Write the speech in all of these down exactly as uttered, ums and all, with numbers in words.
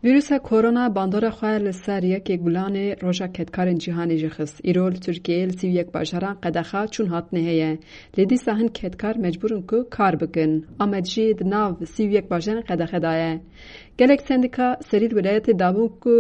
Vîrusa korona bandora xwe li ser yekê gulanê roja kedkarên cîhanê jî xist. Îro li Tirkiyeyê li sî û yek bajaran qedexa çûn hatinê heye. Lê dîsa hin kedkar mecbûr in ku kar bikin. Amed jî di nav sî û yek bajarên qedexe de ye. Gelek sendîka serî li welayetê dabûn ku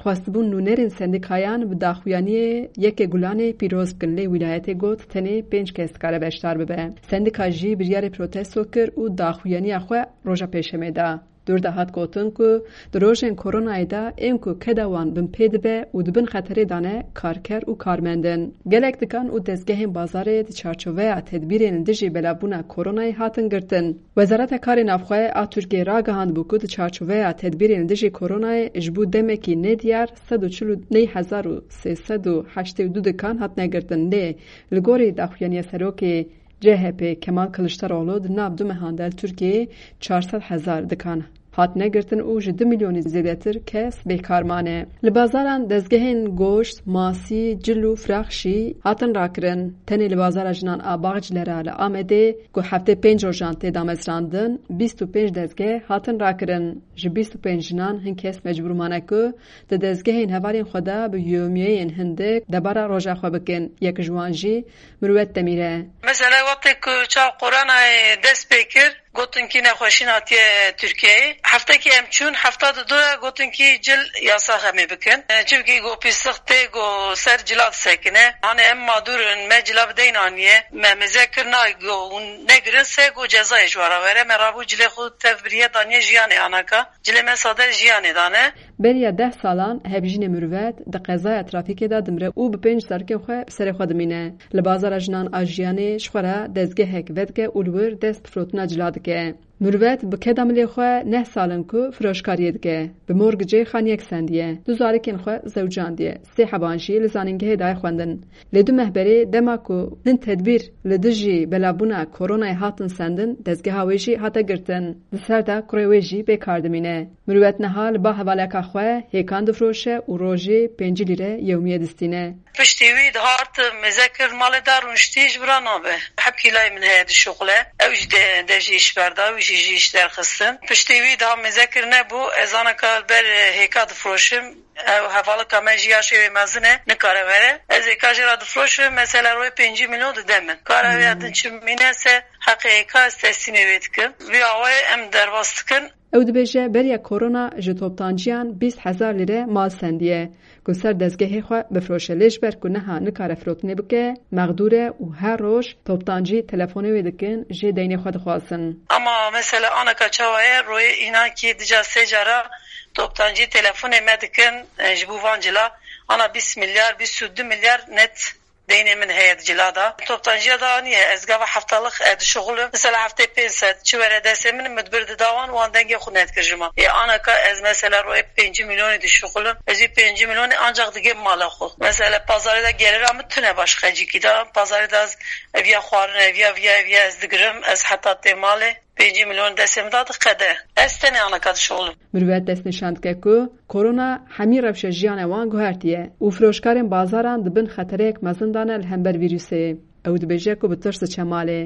xwestibûn nûnerên sendîkayan bi daxuyaniyê yekê gulanê pîroz bikin, lê wîlayetê got tenê pênc kes dikare beşdar bibe. Sendîka jî biryarê protesto kir û daxuyaniya xwe roja pêşemê da. Dûr de hat gotin ku di rojên koronayê de ên ku keda wan binpê dibe û di bin xeterê de ne karker û karmend in. Gelek dikan û dezgehên bazarê di çarçoveya tedbîrên li dijî belavbûna koronayê hatin girtin. Wezareta Karê Navxwe a Tirkiyeyê ragihandibû ku di çarçoveya tedbîrên li dijî koronayê ji bo demekî nediyar sed û çil û neh hezar û sê sed û heştê û du dikan hatine girtin, lê li gorî daxuyaniya serokê C H P Kemal Kiliçdaroglu di nav du mehan de li Tirkiyeyê çar sed hezar dikan hatine girtin û ji du milyonî zêdetir kes bêkar mane. Li bazaran dezgehên goşt, masî, cil û firax jî hatin rakirin. Tenê li bazara jinan a Bağcilera li Amedê ku heftê pênc rojan tê damezrandin, bîst û pênc dezgeh hatin rakirin. Ji bîst û pênc jinan hin kes mecbûr mane ku di dezgehên hevalên xwe de bi yomiyeyên hindik debara roja xwe bikin. Yek ji wan jî Mirwet Demîr e. Mesela wextê ku çav koronayê dest pê kir, gotin kî nexweşîn hatiye Tirkiyeyê. Heftekî em çûn, hefta di du re gotin kî cil yasax em ê bikin. E, çimkî go pîsix tê, go ser cila disekine. Hanê em madûr in, me cila bi deyn aniye. Me mêze kir na go hûn negirin se go cezayê ji we re were. Me rabû cilê xwe tev biriye daniye jiyanê anaka. Cilê me sade jiyanê dane. Beriya deh salan hevjînê Mirwet di qezaya trafîkê de dimre û bi pênc zarokên xwe bi serê xwe dimîne. Li bazara jinan a jiyanê ji xwe re dezgehek vedike û li wir dest bi firotina cila dike. Mirwet bi keda milê xwe neh sal in ku firoşkariyê dike. Bi morgicê xaniyek sendiye. Du zarokên xwe zewcandiye. Sê heban jî li zanîngehê daye xwendin. Lê du meh berê dema ku hin tedbîr li dijî belavbûna koronayê hatin sendin, dezgeha wê jî hate girtin. Di ser de kurê wê jî bê kar dimîne. Mirwet niha li ba hevaleka xwe hêkan difroşe û rojê pêncî lîre yewmiyê distîne. Piştî wî dihat mêze kir malê de rûniştî ji bira nabe. Hep hîlayê min heye dişuxule. Ew jî de, de jî îş berda, wî jî, jî îş derxistin. Piştî wî daha mêze kir nebû. Ez anaka li ber hêka difroşim. Ew hevalika me jî ya şêwê mezin e, nikare were. Ez hêka jê re difroşim, mesela royê pêncî milyon dide min. Kara wê din çi mîne se heqê hêka ez teslîmê wê dikim. Vî awayê em derbas dikin. Ew dibêje beriya korona ji toptanciyan bîst hezar lîre mal sendiye ku ser dezgehê xwe bifroşe, lê ji ber ku niha nikare firotinê bike, mexdûr e û her roj toptancî telefonê wê dikin, jê deynê xwe dixwazin. Ama mesela anaka çawa ye, royê înan kî dija sê cara toptancî telefonê me dikin, e, ji bo van cila ana bîst milyar, bîst û du milyar net deynê min heye di cila de. Toptanciya da niye, ez gava heftalık, e, dişuxulim. Mesela heftê pênc sed, çi were destê min, min dibir dida wan, wan dengê xwe nedikir ji me. Ê anaka ez mesela royê pêncî milyonê dişuxulim. Ez wî pêncî milyonê ancak digêm mala xwe. Mesela pazarê de gelira min tune başka cîkî de. Pazarê de ez eviya xwarin, eviya, eviya, eviya ez digirim. Ez heta tê malê. Pêncî milyon destê min da diqede. Ez tenê anaka dişuxulim. Mirwet destnîşan dike ku korona hemî rewşa jiyana wan guhertiye û firoşkarên bazaran di bin xetereyek mezin de ne li hember vîrusê. Ew dibêje ku bi tirs diçe malê.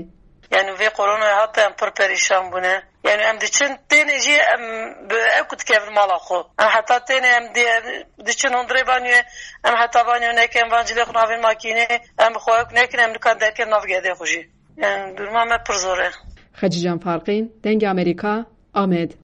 Yani vê koronayê hate em pir perîşan bûne. Yani em diçin tênê jî em bi ew ku dikevin mala xwe. Em heta tênê em di-, diçin hundirê banyoyê, em heta banyo nekin, van cilê xwe navê makînê, em bi xwe ew nekin, em nikan derkevin nav gedê xwe jî. Yani duruma me pir zor e. Xecîcan Farqîn, Dengê Amerîka, Amed.